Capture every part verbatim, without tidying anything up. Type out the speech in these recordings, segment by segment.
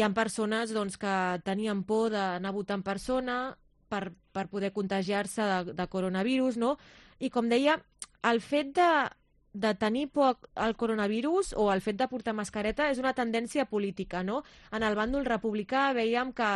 hi ha persones doncs, que tenien por d'anar a votar en persona per, per poder contagiar-se de, de coronavirus, no? I com deia, el fet de, de tenir por al coronavirus o el fet de portar mascareta és una tendència política, no? En el bàndol republicà veiem que,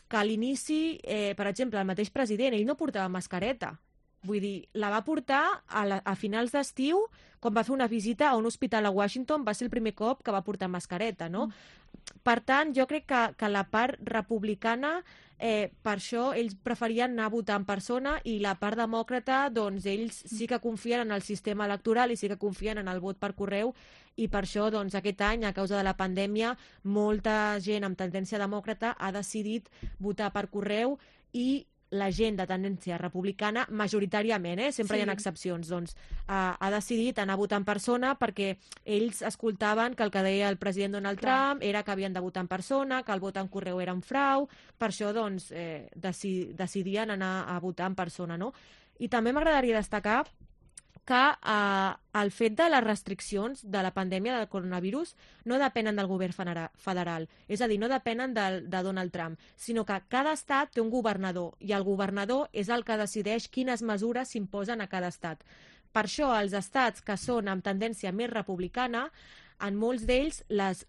que a l'inici, eh, per exemple, el mateix president, ell no portava mascareta. Vull dir, la va portar a, la, a finals d'estiu, quan va fer una visita a un hospital a Washington, va ser el primer cop que va portar mascareta, no? Mm. Per tant, jo crec que, que la part republicana, eh, per això ells preferien anar a votar en persona, i la part demòcrata, doncs ells sí que confien en el sistema electoral i sí que confien en el vot per correu, i per això doncs, aquest any, a causa de la pandèmia, molta gent amb tendència demòcrata ha decidit votar per correu, i la gent de tendència republicana, majoritàriament, eh? sempre sí. hi ha excepcions, doncs, ha, ha decidit anar a votar en persona perquè ells escoltaven que el que deia el president Donald Clar. Trump era que havien de votar en persona, que el vot en correu era un frau, per això doncs, eh, deci, decidien anar a votar en persona. No? I també m'agradaria destacar que eh, el fet de les restriccions de la pandèmia del coronavirus no depenen del govern federal, és a dir, no depenen de, de Donald Trump, sinó que cada estat té un governador, i el governador és el que decideix quines mesures s'imposen a cada estat. Per això, els estats que són amb tendència més republicana, en molts d'ells les,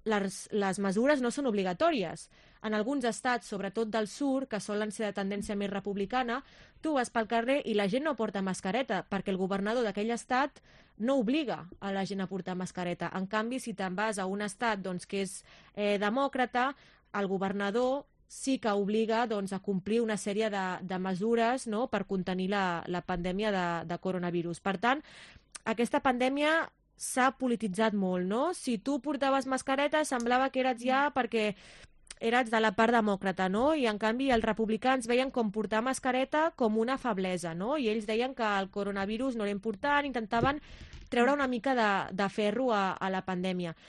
les, les mesures no són obligatòries. En alguns estats, sobretot del sud, que solen ser de tendència més republicana, tu vas pel carrer i la gent no porta mascareta, perquè el governador d'aquell estat no obliga a la gent a portar mascareta. En canvi, si te'n vas a un estat doncs, que és eh, demòcrata, el governador sí que obliga doncs, a complir una sèrie de, de mesures, no?, per contenir la, la pandèmia de, de coronavirus. Per tant, aquesta pandèmia s'ha polititzat molt, no? Si tu portaves mascareta semblava que eres ja perquè eres de la part demòcrata, no? I en canvi els republicans veien com portar mascareta com una feblesa, no? I ells deien que el coronavirus no era important, intentaven treure una mica de, de ferro a, a la pandèmia.